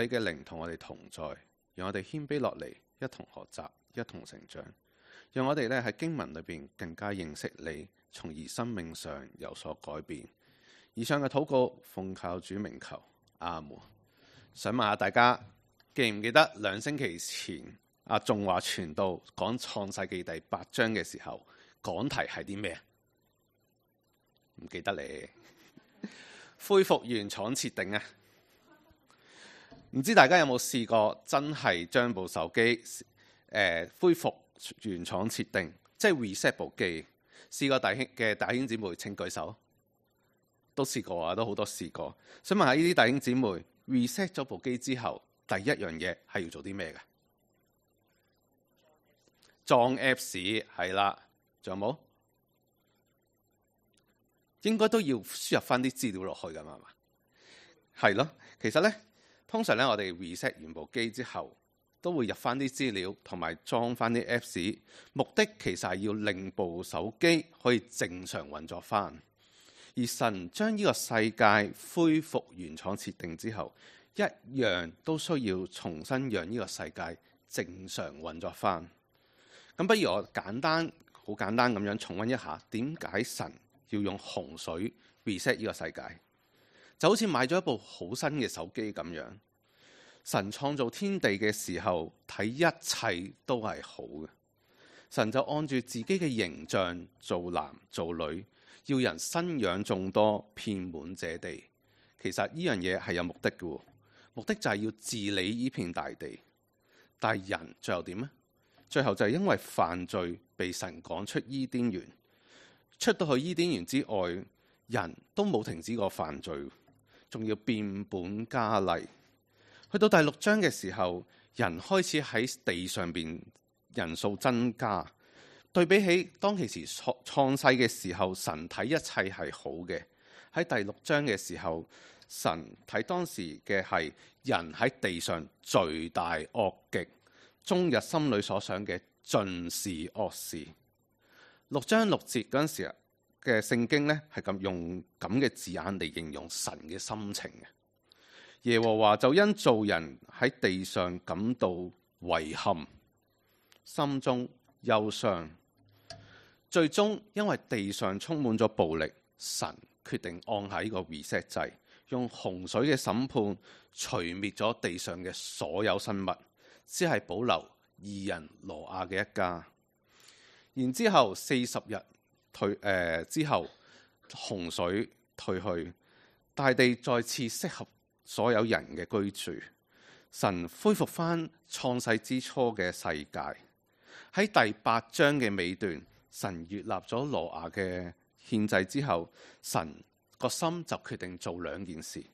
你嘅靈同我哋同在，讓我哋謙卑落嚟，一同學習，一同成長，讓我哋咧喺經文裏邊更加認識你，從而生命上有所改變。以上嘅禱告奉靠主名求，阿門。想問下大家記唔記得2星期前阿仲華傳道講創世記第8章嘅時候，講題係啲咩？唔記得你恢復原廠設定啊！唔知大家有冇試過真係將部手機恢復原廠設定，即係 reset 部機？試過弟兄姊妹請舉手。都試過啊，都好多試過。想問下呢啲弟兄姊妹 reset 咗部機之後，第一樣嘢係要做啲咩嘅？裝 Apps 係啦，仲有冇？應該都要輸入翻啲資料落去㗎嘛？係咯，其實呢，通常呢，我哋 reset 完部機之後，都會入翻啲資料同埋裝翻啲 Apps， 目的其實係要令部手機可以正常運作翻。而神將呢個世界恢復原廠設定之後，一樣都需要重新讓呢個世界正常運作翻。咁不如我好簡單咁樣重溫一下，點解神要用洪水 reset 呢個世界？就好似買咗一部好新嘅手機咁樣。神創造天地嘅時候，睇一切都係好嘅。神就按住自己嘅形象做男做女，要人生養眾多，遍滿這地。其實呢樣嘢係有目的嘅，目的就係要治理呢片大地。但係人最後點呢？最後就係因為犯罪被神趕出伊甸園。出到去伊甸園之外，人都冇停止過犯罪，仲要變本加厲。去到第6章嘅時候，人開始喺地上邊人數增加。對比起當其時創世嘅時候，神睇一切係好嘅。喺第6章嘅時候，神睇當時嘅係人喺地上罪大惡極，終日心裏所想嘅盡是惡事。6章6節嗰陣時嘅聖經呢，係咁用咁嘅字眼嚟形容神嘅心情嘅。耶和華就因造人喺地上感到遺憾，心中憂傷。最終因為地上充滿咗暴力，神決定按下呢個 reset 掣，用洪水嘅審判除滅咗地上嘅所有生物，只係保留義人挪亞嘅一家。然之後40日之後，洪水退去，大地再次適合所有人嘅居住。神恢復翻創世之初嘅世界。喺第8章嘅尾段，神悅納咗挪亞嘅獻祭之後，神個心就決定做2件事。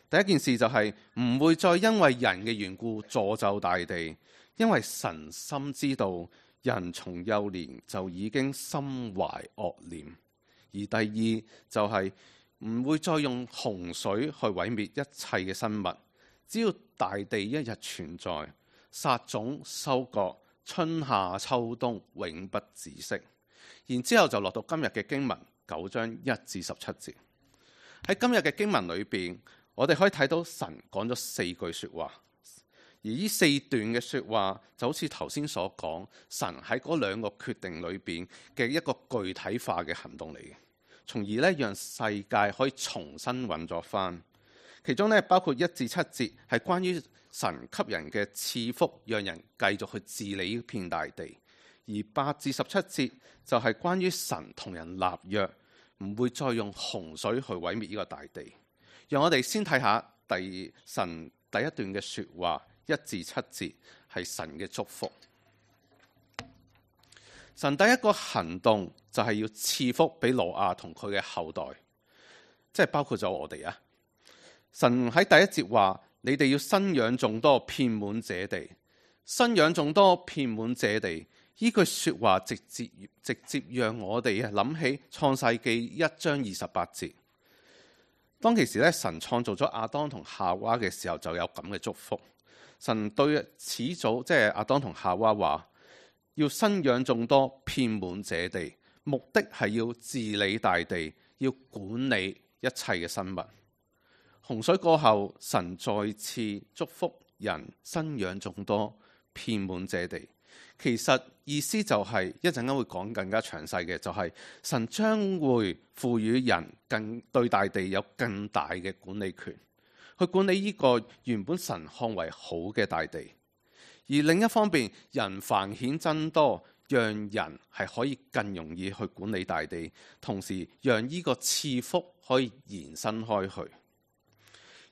第一件事就係唔會再因為人嘅緣故詛咒大地，因為神深知道人從幼年就已經心懷惡念。而第二就係唔會再用洪水去毀滅一切嘅生物，只要大地一日存在，撒種收割，春夏秋冬永不止息。然之後就落到今日嘅經文9章1至17節。喺今日嘅經文裏邊，我哋可以睇到神講咗4句說話，而呢4段嘅說話就好似頭先所講，神喺嗰2個決定裏邊嘅一個具體化嘅行動嚟嘅，從而咧讓世界可以重新運作翻。其中咧包括1至7節係關於神給人嘅賜福，讓人繼續去治理呢片大地。而8至17節就係關於神同人立約，唔會再用洪水去毀滅呢個大地。讓我哋先睇下神第一段嘅說話，1至7節係神嘅祝福。神第一個行動就係要賜福俾挪亞同佢嘅後代，即係包括咗我哋啊。神喺第一節話：你哋要生養眾多，遍滿這地。生養眾多，遍滿這地。呢句說話直接讓我哋諗起創世記1章28節。當其時咧，神創造咗亞當同夏娃嘅時候，就有咁嘅祝福。神對始祖即係亞當同夏娃話：要生養眾多，遍滿這地，目的係要治理大地，要管理一切嘅生物。洪水過後，神再次祝福人生養眾多，遍滿這地。其實意思就係一陣間會講更加詳細嘅，就係神將會賦予人對大地有更大嘅管理權，去管理呢個原本神看為好嘅大地。而另一方面，人繁衍增多，讓人係可以更容易去管理大地，同時讓呢個賜福可以延伸開去。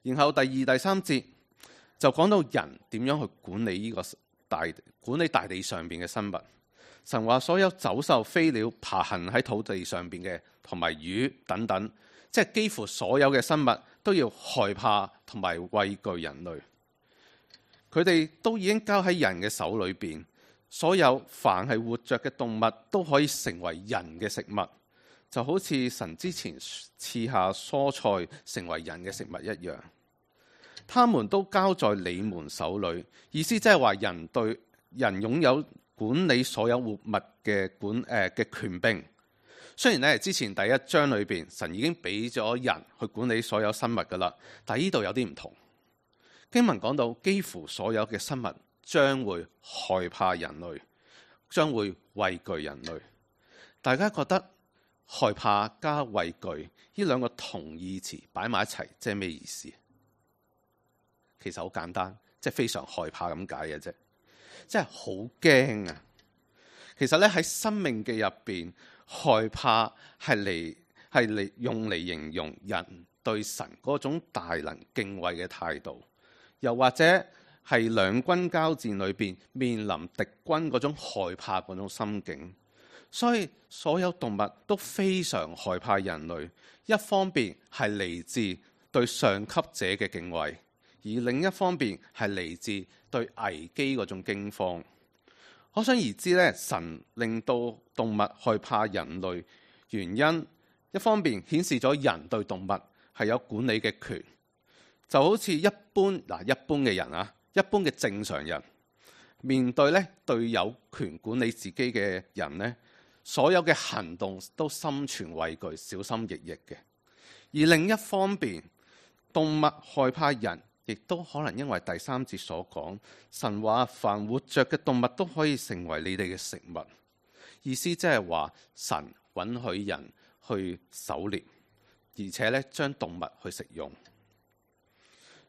然後第二、第三節就講到人點樣去管理呢個管理大地上邊嘅生物。神話所有走獸、飛鳥、爬行喺土地上邊嘅，同埋魚等等，即係幾乎所有嘅生物都要害怕同埋畏懼人類。佢哋都已經交喺人嘅手裏邊，所有凡係活着嘅動物都可以成為人嘅食物，就好似神之前賜下蔬菜成為人嘅食物一樣。他們都交在你們手裏，意思即係話人擁有管理所有活物嘅權柄。雖然咧之前第一章裏邊神已經俾咗人去管理所有生物噶啦，但係呢度有啲唔同。經文講到幾乎所有嘅生物將會害怕人類，將會畏懼人類。大家覺得害怕加畏懼呢兩個同義詞擺埋一齊，即係咩意思？其實好簡單，即係非常害怕咁解嘅啫，即係好驚啊！其實咧喺《申命記》入邊，害怕係用嚟形容人對神嗰種大能敬畏嘅態度。又或者係兩軍交戰裏邊面臨敵軍嗰種害怕嗰種心境，所以所有動物都非常害怕人類。一方面係嚟自對上級者嘅敬畏，而另一方面係嚟自對危機嗰種驚慌。可想而知咧，神令到動物害怕人類，原因一方面顯示咗人對動物係有管理嘅權。就好似一般嘅人啊，一般嘅正常人面對對有權管理自己嘅人呢，所有嘅行動都心存畏懼，小心翼翼嘅。而另一方面，動物害怕人，亦都可能因為第三節所講，神話凡活着嘅動物都可以成為你哋嘅食物。意思即係話神允許人去狩獵，而且將動物去食用。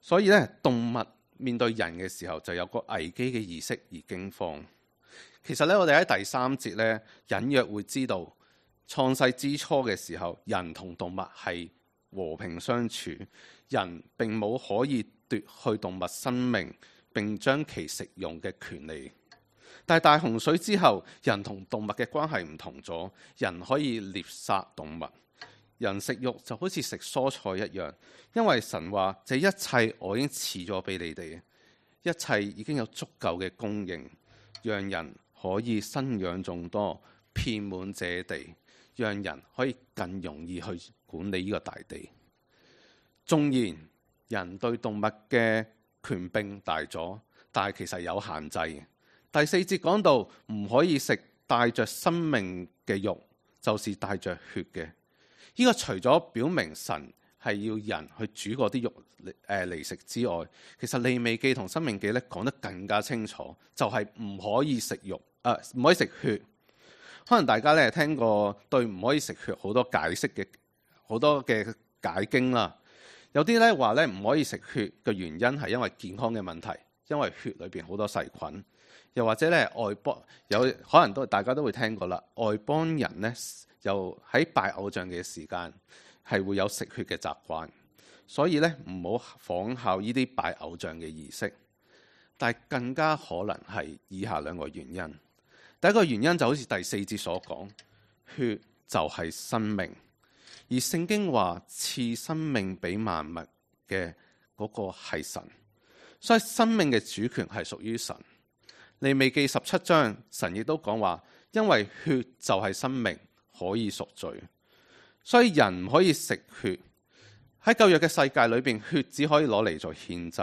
所以動物面對人嘅時候就有個危機嘅意識而驚慌。其實我哋喺第三節隱約會知道，創世之初嘅時候，人同動物係和平相處，人並冇可以奪去動物生命並將其食用嘅權利。但係大洪水之後，人同動物嘅關係唔同咗，人可以獵殺動物。人食肉就好似食蔬菜一樣，因為神話這一切我已經賜咗俾你哋，一切已經有足夠嘅供應，讓人可以生養眾多，遍滿這地，讓人可以更容易去管理呢個大地。縱然人對動物嘅權柄大咗，但係其實有限制嘅。第四節講到唔可以食帶着生命嘅肉，就是帶着血嘅。呢個除咗表明神係要人去煮嗰啲肉嚟食之外，其實利未記同申命記講得更加清楚，就係唔可以食肉，唔可以食血。可能大家聽過對唔可以食血好多解釋嘅好多嘅解經啦。有啲話唔可以食血嘅原因係因為健康嘅問題，因為血裏邊好多細菌。又或者外邦可能大家都會聽過啦，外邦人又喺拜偶像嘅時間係會有食血嘅習慣，所以唔好仿效呢啲拜偶像嘅儀式。但係更加可能係以下兩個原因。第一個原因就好似第四節所講，血就係生命，而聖經話賜生命俾萬物嘅嗰個係神，所以生命嘅主權係屬於神。利未記17章，神亦都講話，因為血就係生命，可以贖罪，所以人唔可以食血。喺舊約嘅世界裏邊，血只可以攞嚟做獻祭，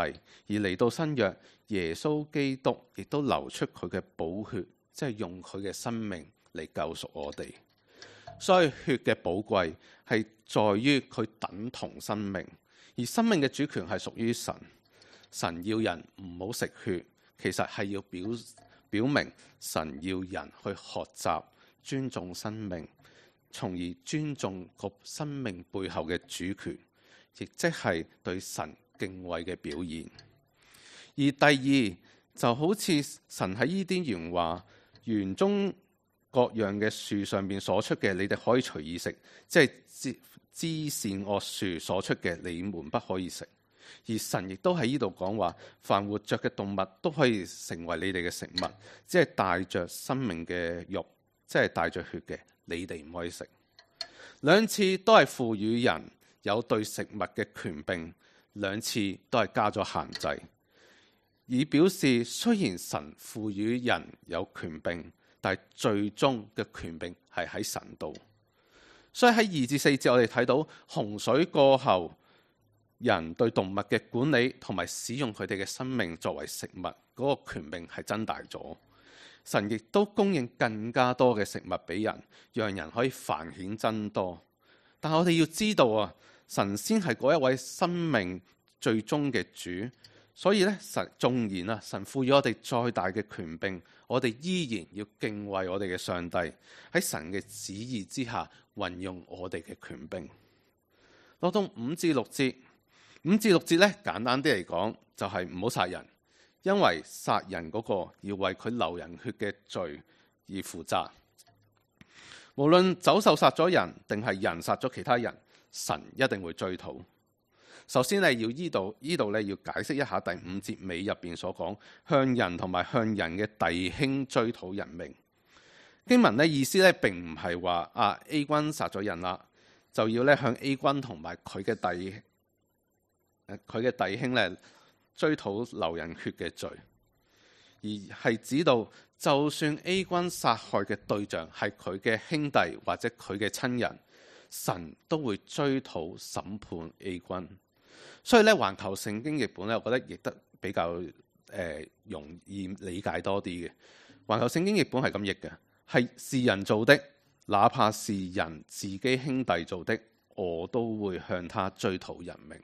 而嚟到新約，耶穌基督亦都流出佢嘅寶血，即係用佢嘅生命嚟救贖我哋。所以血嘅寶貴係在於佢等同生命，而生命嘅主權係屬於神。神要人唔好食血，其實係要表明神要人去學習尊重生命，從而尊重個生命背後嘅主權，亦即係對神敬畏嘅表現。而第二就好似神喺伊甸園話，園中各樣嘅樹上面所出嘅，你哋可以隨意食，即係知善惡樹所出嘅，你們不可以食。而神亦都喺呢度講話，凡活着嘅動物都可以成為你哋嘅食物，即係帶着生命嘅肉，即係帶着血嘅，你哋唔可以食。兩次都係賦予人有對食物嘅權柄，兩次都係加咗限制，以表示雖然神賦予人有權柄，但係最終嘅權柄係喺神度。所以喺2至4節我哋睇到洪水過後，人對動物嘅管理同埋使用佢哋嘅生命作為食物嗰個權柄係增大咗。神亦都供應更加多嘅食物俾人，讓人可以繁衍增多。但我哋要知道啊，神先係嗰一位生命最終嘅主，所以咧，縱然啊，神賦予我哋再大嘅權柄，我哋依然要敬畏我哋嘅上帝，喺神嘅旨意之下運用我哋嘅權柄。落到5至6節，5至6節咧，簡單啲嚟講就係唔好殺人，因為殺人嗰個要為佢流人血嘅罪而負責。無論走獸殺咗人定係人殺咗其他人，神一定會追討。首先咧，呢度咧要解釋一下第5節尾入邊所講向人同埋向人嘅弟兄追討人命。經文咧意思咧並唔係話A 君殺咗人啦，就要咧向 A 君同埋佢嘅弟兄咧追討流人血嘅罪，而係指到就算 A 君殺害嘅對象係佢嘅兄弟或者佢嘅親人，神都會追討審判 A 君。所以咧，環球聖經譯本咧，我覺得譯得比較容易理解多啲嘅。環球聖經譯本係咁譯嘅，是人做的，哪怕是人自己兄弟做的，我都會向他追討人命。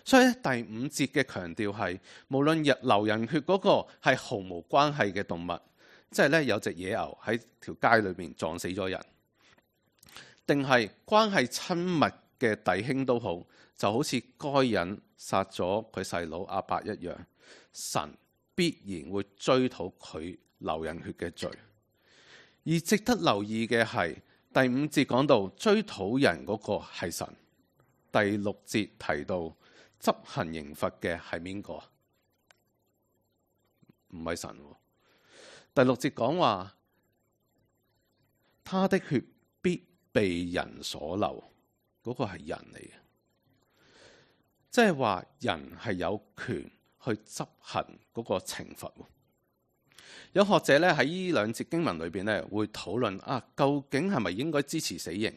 所以第5節嘅強調係，無論流人血嗰個係毫無關係嘅動物，即係咧有隻野牛喺條街裏邊撞死咗人，定係關係親密嘅弟兄都好，就好似該隱殺咗佢細佬亞伯一樣，神必然會追討佢流人血嘅罪。而值得留意嘅係第5節講到追討人嗰個係神，第6節提到執行刑罰嘅係邊個？唔係神。第6節講話，他的血必被人所流，嗰個係人嚟嘅，即係話人係有權去執行嗰個懲罰。有學者咧喺呢兩節經文裏邊咧會討論究竟係咪應該支持死刑？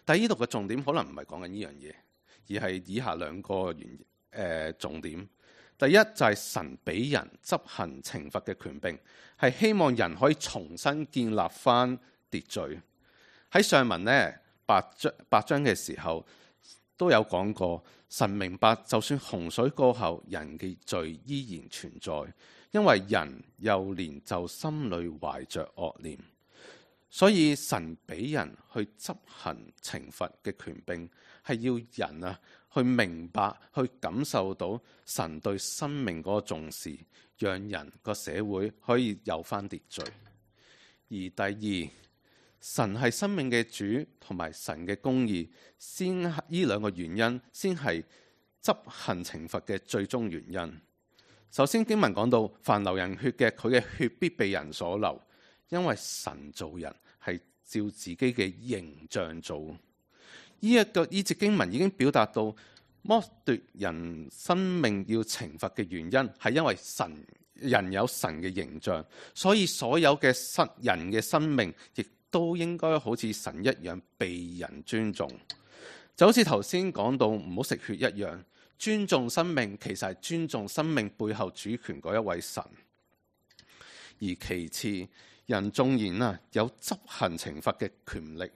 但係呢度嘅重點可能唔係講緊呢樣嘢，而係以下兩個重點。第一就係神俾人執行懲罰嘅權柄，係希望人可以重新建立翻秩序。喺上文咧8章嘅時候都有講過，神明白就算洪水過後，人嘅罪依然存在，因為人幼年就心裏懷着惡念，所以神俾人去執行懲罰嘅權柄，係要人去明白、去感受到神對生命嗰個重視，讓人個社會可以有翻秩序。而第二，神係生命嘅主，同埋神嘅公義，呢兩個原因先係執行懲罰嘅最終原因。首先經文講到，凡流人血嘅，佢嘅血必被人所流，因為神造人係照自己嘅形象做。呢節經文已經表達到剝奪人生命要懲罰嘅原因，係因為人有神嘅形象，所以所有嘅人嘅生命亦都應該好似神一樣被人尊重。就好似頭先講到唔好食血一樣，尊重生命其實係尊重生命背後主權嗰一位神。而其次，人縱然有執行懲罰嘅權力，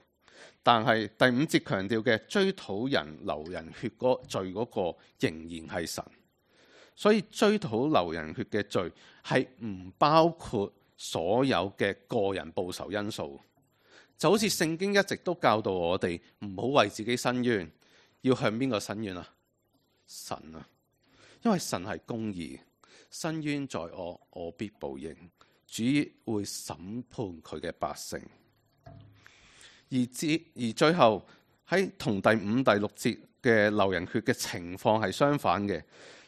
但係第5節強調嘅追討人流人血嗰罪嗰個仍然係神，所以追討流人血嘅罪係唔包括所有嘅個人報仇因素。就好似聖經一直都教導我哋唔好為自己申冤，要向邊個申冤啊？神啊，因為神係公義，申冤在我，我必報應，主會審判佢嘅百姓。而最後喺同第5、第6節嘅流人血嘅情況係相反嘅，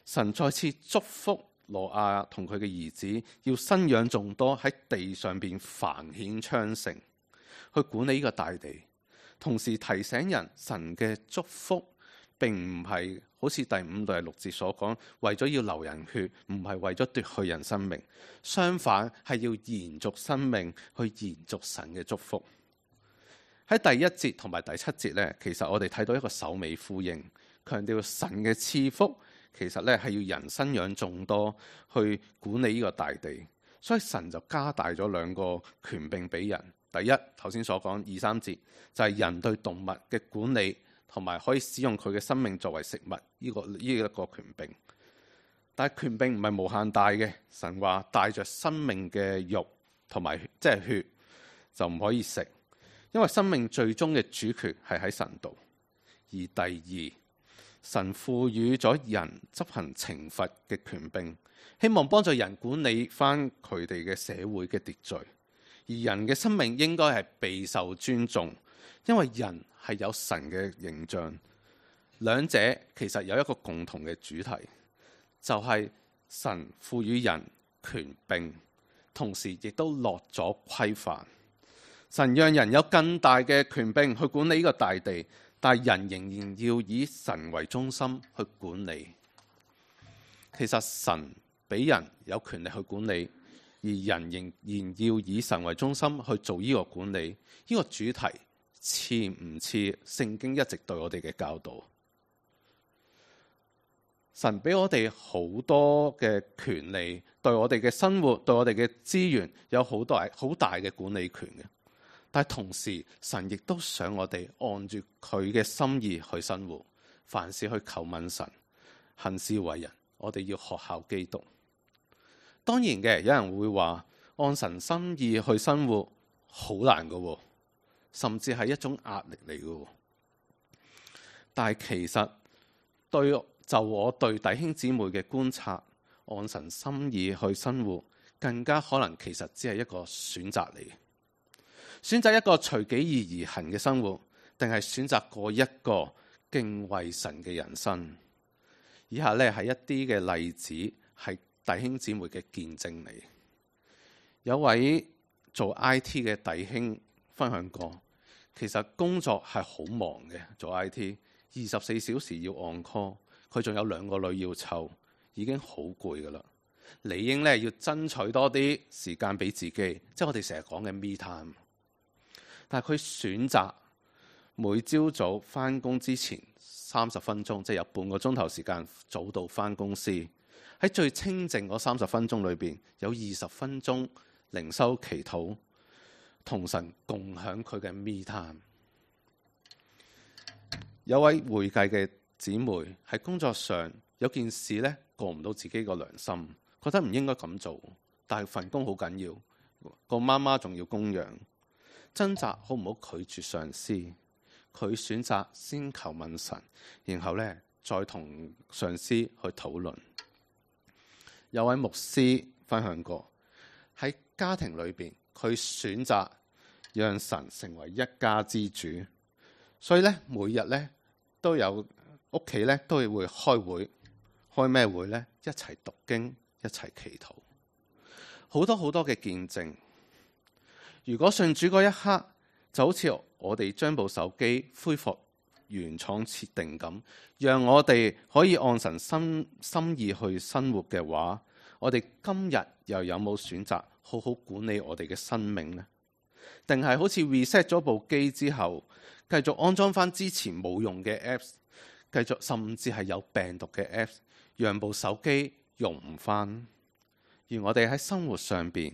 神再次祝福挪亞同佢嘅兒子要生養眾多，喺地上邊繁衍昌盛，去管理呢個大地。同時提醒人，神嘅祝福並唔係好似第5、第6節所講，為咗要流人血，唔係為咗奪去人生命，相反係要延續生命，去延續神嘅祝福。喺第1節同埋第7節呢，其實我哋睇到一個首尾呼應，強調神嘅賜福其實呢係要人生養眾多，去管理呢個大地。所以神就加大咗2個權柄俾人。第一，頭先所講2、3節就係人對動物嘅管理，同埋可以使用佢嘅生命作為食物呢一個權柄。但係權柄唔係無限大嘅，神話帶着生命嘅肉同埋即係血就唔可以食。因為生命最終嘅主權係喺神度。而第2，神賦予咗人執行懲罰嘅權柄，希望幫助人管理翻佢哋嘅社會嘅秩序。而人嘅生命應該係備受尊重，因為人係有神嘅形象。兩者其實有一個共同嘅主題，就係神賦予人權柄，同時亦都落咗規範。神讓人有更大嘅權柄去管理呢個大地，但係人仍然要以神為中心去管理。其實神俾人有權力去管理，而人仍然要以神為中心去做呢個管理。呢個主題似唔似聖經一直對我哋嘅教導？神俾我哋好多嘅權利，對我哋嘅生活、對我哋嘅資源有好大嘅管理權嘅。但係同時，神亦都想我哋按住佢嘅心意去生活，凡事去求問神，行事為人，我哋要學效基督。當然嘅，有人會話按神心意去生活好難㗎，甚至係一種壓力嚟㗎。但係其實就我對弟兄姊妹嘅觀察，按神心意去生活，更加可能其實只係一個選擇嚟。選擇一個隨己意而行嘅生活，定係選擇過一個敬畏神嘅人生？以下呢係一啲嘅例子，係弟兄姊妹嘅見證嚟。有位做 IT 嘅弟兄分享過，其實工作係好忙嘅，做 IT 24小時要 on call， 佢仲有2個女要湊，已經好攰噶啦。理應呢要爭取多啲時間俾自己，即係我哋成日講嘅 me time。但係佢選擇每朝早返工之前30分鐘，即係有半個鐘頭時間早到返公司。喺最清靜嗰30分鐘裏邊，有20分鐘靈修祈禱，同神共享佢嘅 me time。有位會計嘅姊妹喺工作上有件事呢，過唔到自己個良心，覺得唔應該咁做，但係份工好緊要，個媽媽仲要供養。掙扎好唔好拒絕上司，佢選擇先求問神，然後呢再同上司去討論。有位牧師分享過，喺家庭裏邊，佢選擇讓神成為一家之主，所以呢，每日呢都有屋企呢都會開會，開咩會呢？一齊讀經，一齊祈禱，好多好多嘅見證。如果信主嗰一刻，就好似我哋將部手機恢復原廠設定咁，讓我哋可以按神心意去生活嘅話，我哋今日又有冇選擇好好管理我哋嘅生命呢？定係好似 reset 咗部機之後，繼續安裝翻之前冇用嘅 apps， 繼續甚至係有病毒嘅 apps， 讓部手機用唔翻？而我哋喺生活上邊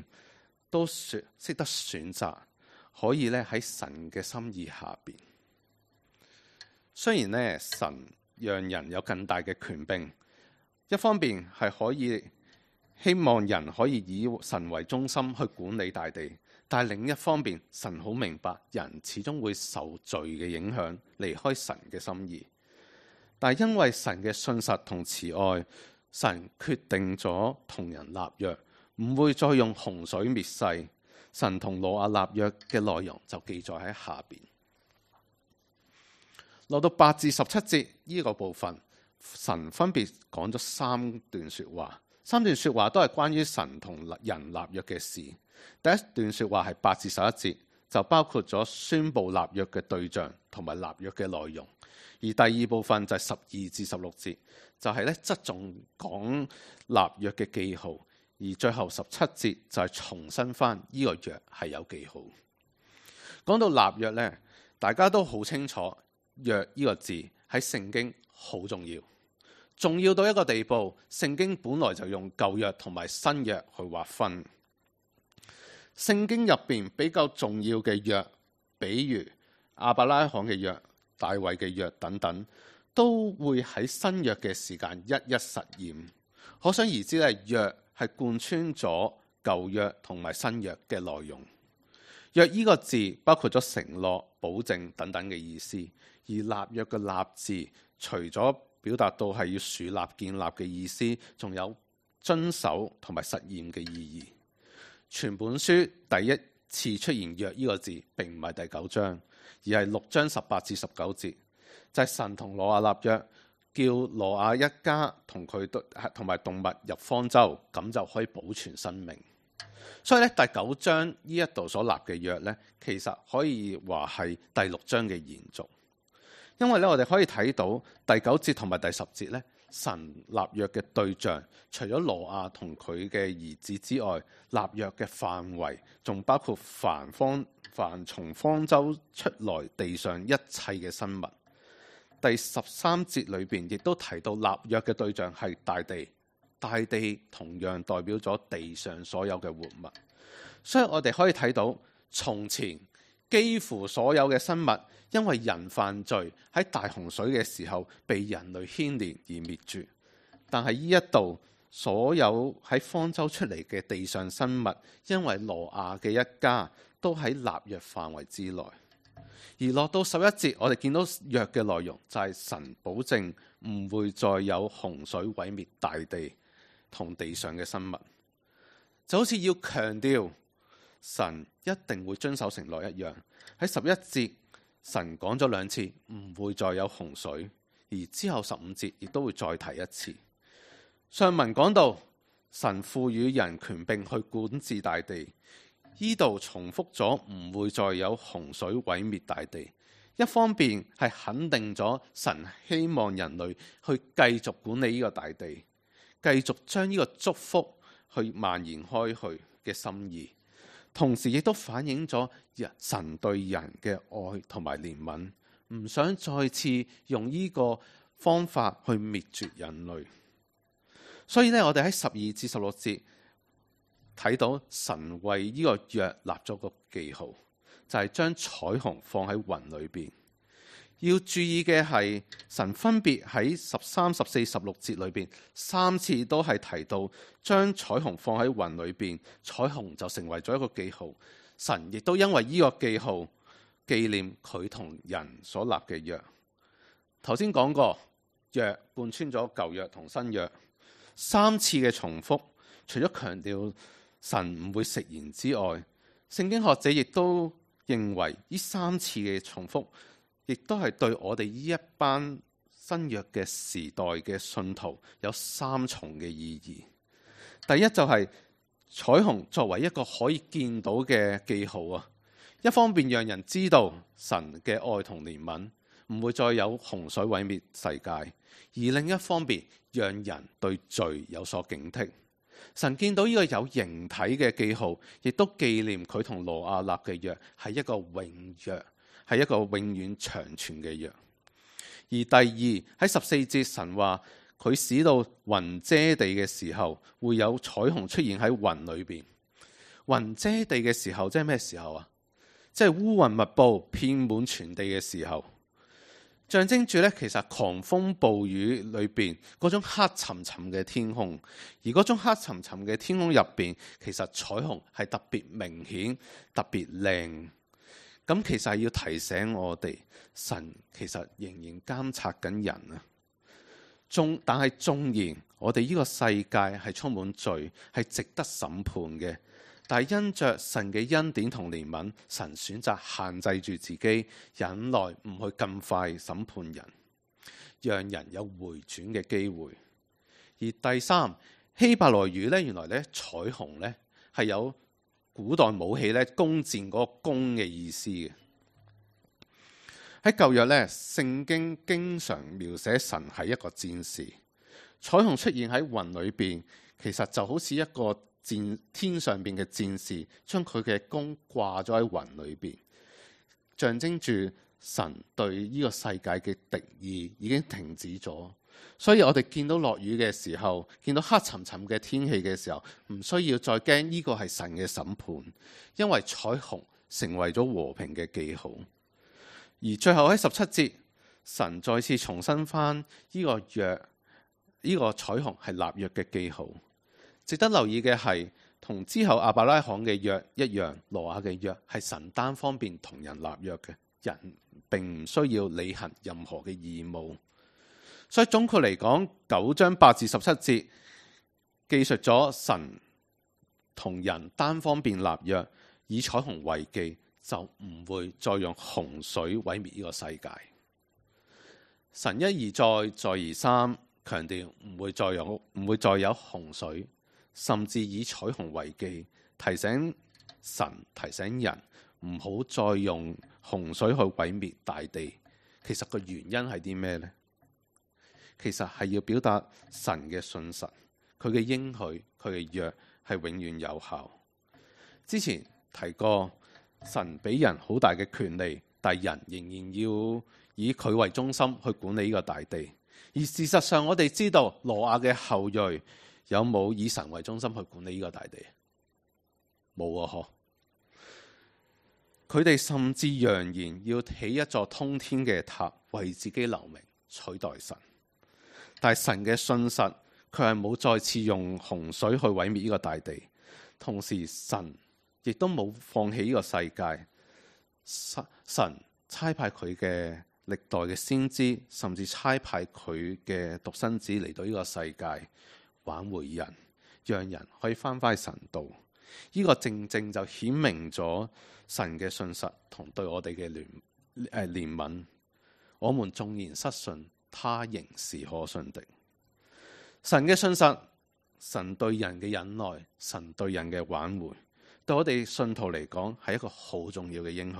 都識得選擇可以咧喺神嘅心意下邊。雖然咧神讓人有更大嘅權柄，一方面係可以希望人可以以神為中心去管理大地，但係另一方面，神好明白人始終會受罪嘅影響，離開神嘅心意。但係因為神嘅信實同慈愛，神決定咗同人立約，唔會再用洪水滅世。神同挪亞立約嘅內容就記載喺下邊。落到8至17節呢個部分，神分別講咗3段說話，3段說話都係關於神同人立約嘅事。第一段說話係8至11節，就包括咗宣布立約嘅對象同埋立約嘅內容。而第二部分就係12至16節，就係側重講立約嘅記號。而最後17節就係重申翻呢個約係有記號。講到立約呢，大家都好清楚，約呢個字喺聖經好重要，重要到一個地步，聖經本來就用舊約同埋新約去劃分。聖經入邊比較重要嘅約，比如亞伯拉罕嘅約、大衛嘅約等等，都會喺新約嘅時間一一實驗。可想而知咧，約係貫穿咗舊約同埋新約嘅內容。約呢個字包括咗承諾、保證等等嘅意思。而立約嘅立字，除咗表達到係要樹立、建立嘅意思，仲有遵守同埋實驗嘅意義。全本書第一次出現約呢個字，並唔係第9章，而係6章18至19節，就係神同挪亞立約，叫挪亞一家同佢同埋動物入方舟，咁就可以保存生命。所以咧，第9章呢一度所立嘅約咧，其實可以話係第6章嘅延續。因為咧，我哋可以睇到第9節同埋第10節咧，神立約嘅對象，除咗挪亞同佢嘅兒子之外，立約嘅範圍仲包括凡從方舟出來地上一切嘅生物。第13節裏邊亦都提到立約嘅對象係大地，大地同樣代表咗地上所有嘅活物。所以我哋可以睇到，從前幾乎所有嘅生物，因為人犯罪喺大洪水嘅時候被人類牽連而滅絕，但係呢一度所有喺方舟出嚟嘅地上生物，因為挪亞嘅一家都喺立約範圍之內。而落到11節，我哋見到約嘅內容就係神保證唔會再有洪水毀滅大地同地上嘅生物，就好似要強調神一定會遵守承諾一樣。喺11節，神講咗2次唔會再有洪水，而之後15節亦都會再提一次。上文講到神賦予人權柄去管治大地，呢度重複咗唔會再有洪水毀滅大地。一方面係肯定咗神希望人類去繼續管理呢個大地，繼續將呢個祝福去蔓延開去嘅心意，同時亦都反映咗神對人嘅愛同埋憐憫，唔想再次用呢個方法去滅絕人類。所以咧，我哋喺12至16節睇到神為呢個約立咗個記號，就係將彩虹放喺雲裏邊。要注意嘅係，神分別喺13、14、16節裏邊3次都係提到將彩虹放喺雲裏邊，彩虹就成為咗一個記號。神亦都因為呢個記號紀念佢同人所立嘅約。頭先講過，約貫穿咗舊約同新約，3次嘅重複，除咗強調神唔會食言之外，聖經學者亦都認為呢3次嘅重複，亦都係對我哋呢一班新約嘅時代嘅信徒有3重嘅意義。第一就係彩虹作為一個可以見到嘅記號啊，一方面讓人知道神嘅愛同憐憫，唔會再有洪水毀滅世界；而另一方面，讓人對罪有所警惕。神見到呢個有形體嘅記號，亦都紀念佢同挪亞立嘅約係一個永約，係一個永遠長存嘅約。而第二喺14節，神話佢使到雲遮地嘅時候，會有彩虹出現喺雲裏邊。雲遮地嘅時候，即係咩時候啊？即係烏雲密布遍滿全地嘅時候，象徵住咧其實狂風暴雨裏邊嗰種黑沉沉嘅天空，而嗰種黑沉沉嘅天空入邊，其實彩虹係特別明顯、特別靚。咁其實係要提醒我哋，神其實仍然監察緊人啊。但係縱然我哋呢個世界係充滿罪，係值得審判嘅。但係因着神嘅恩典同憐憫，神選擇限制住自己，忍耐唔去咁快審判人，讓人有回轉嘅機會。而第三，希伯來語咧，原來咧彩虹咧係有古代武器咧弓箭嗰個弓嘅意思嘅。喺舊約咧，聖經經常描寫神係一個戰士，彩虹出現喺雲裏邊，其實就好似一個天上邊嘅戰士，將佢嘅弓掛咗喺雲裏邊，象徵住神對呢個世界嘅敵意已經停止咗。所以我哋見到落雨嘅時候，見到黑沉沉嘅天氣嘅時候，唔需要再驚呢個係神嘅審判，因為彩虹成為咗和平嘅記號。而最後喺17節，神再次重申翻呢個約，呢個彩虹係立約嘅記號。值得留意嘅係，同之後亞伯拉罕嘅約一樣，挪亞嘅約係神單方面同人立約嘅，人並唔需要履行任何嘅義務。所以總括嚟講，9章8至17節記述咗神同人單方面立約，以彩虹為記，就唔會再用洪水毀滅呢個世界。神一而再，再而三強調唔會再有洪水。甚至以彩虹為記，提醒神、提醒人唔好再用洪水去毀滅大地。其實個原因係啲咩呢？其實係要表達神嘅信實，佢嘅應許，佢嘅約係永遠有效。之前提過，神俾人好大嘅權利，但係人仍然要以佢為中心去管理呢個大地。而事實上，我哋知道挪亞嘅後裔有冇以神為中心去管理呢個大地？冇啊！佢哋甚至揚言要起一座通天嘅塔，為自己留名，取代神。但係神嘅信實，佢係冇再次用洪水去毀滅呢個大地。同時，神亦都冇放棄呢個世界。神差派佢嘅歷代嘅先知，甚至差派佢嘅獨生子嚟到呢個世界，挽回人，讓人可以翻返去神度。呢個正正就顯明咗神嘅信實同對我哋嘅憐憫。我們縱然失信，他仍是可信的。神嘅信實，神對人嘅忍耐，神對人嘅挽回，對我哋信徒嚟講係一個好重要嘅應許。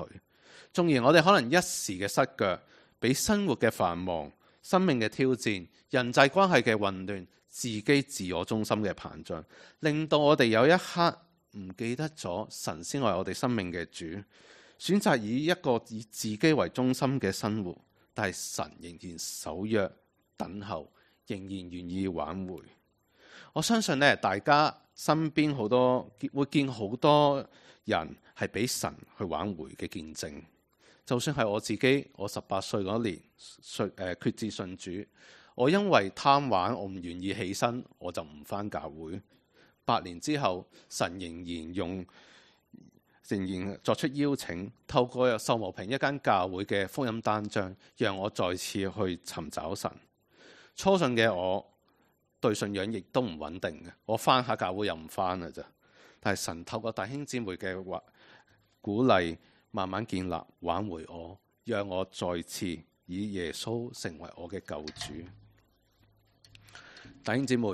縱然我哋可能一時嘅失腳，俾生活嘅繁忙、生命嘅挑戰、人際關係嘅混亂、自己自我中心嘅膨脹，令到我哋有一刻唔記得咗神先係我哋生命嘅主，選擇以一個以自己為中心嘅生活。但係神仍然守約等候，仍然願意挽回。我相信咧，大家身邊會見好多人係俾神去挽回嘅見證。就算係我自己，我18歲嗰年決志信主，我因為貪玩，我唔願意起身，我就唔返教會。8年之後，神仍然作出邀請，透過秀茂坪一間教會嘅福音單張，讓我再次去尋找神。初信嘅我對信仰亦都唔穩定嘅，我返下教會又唔返啦咋。但係神透過弟兄姊妹嘅鼓勵，慢慢建立挽回我，讓我再次以耶穌成為我嘅救主。弟兄姊妹，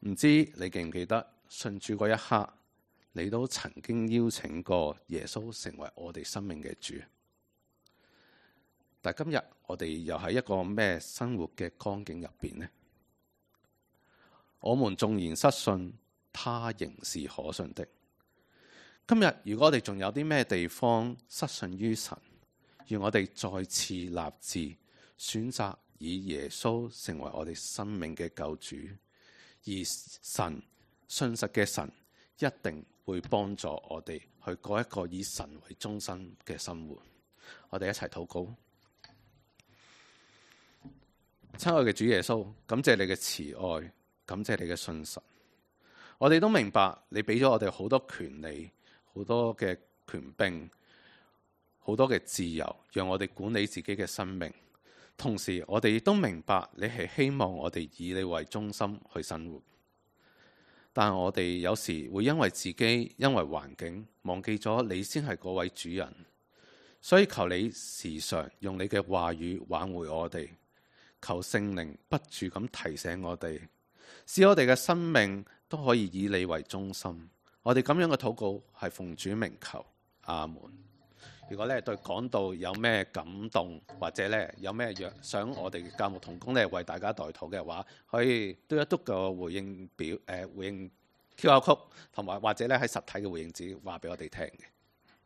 唔知你記唔記得信主嗰一刻，你都曾經邀請過耶穌成為我哋生命嘅主。但今日我哋又喺一個咩生活嘅光景入邊呢？我們縱然失信，他仍是可信的。今日如果我哋仲有啲咩地方失信於神，願我哋再次立志選擇以耶穌成為我哋生命嘅救主，而神信實嘅神一定會會幫助我哋去過一個以神為中心嘅生活。我哋一齊禱告。親愛嘅主耶穌，感謝你嘅慈愛，感謝你嘅信實。我哋都明白你俾咗我哋好多權利，好多嘅權柄，好多嘅自由，讓我哋管理自己嘅生命。同時，我哋亦都明白你係希望我哋以你為中心去生活。但我哋有時會因為自己，因為環境，忘記咗你先係嗰位主人。所以求你時常用你嘅話語挽回我哋，求聖靈不住咁提醒我哋，使我哋嘅生命都可以以你為中心。我哋咁樣嘅禱告係奉主名求，阿門。如果咧對講道有咩感動，或者咧有咩想我哋教牧同工咧為大家代禱嘅話，可以嘟一嘟個回應表，回應 QR code，同埋或者咧喺實體嘅回應紙話俾我哋聽嘅。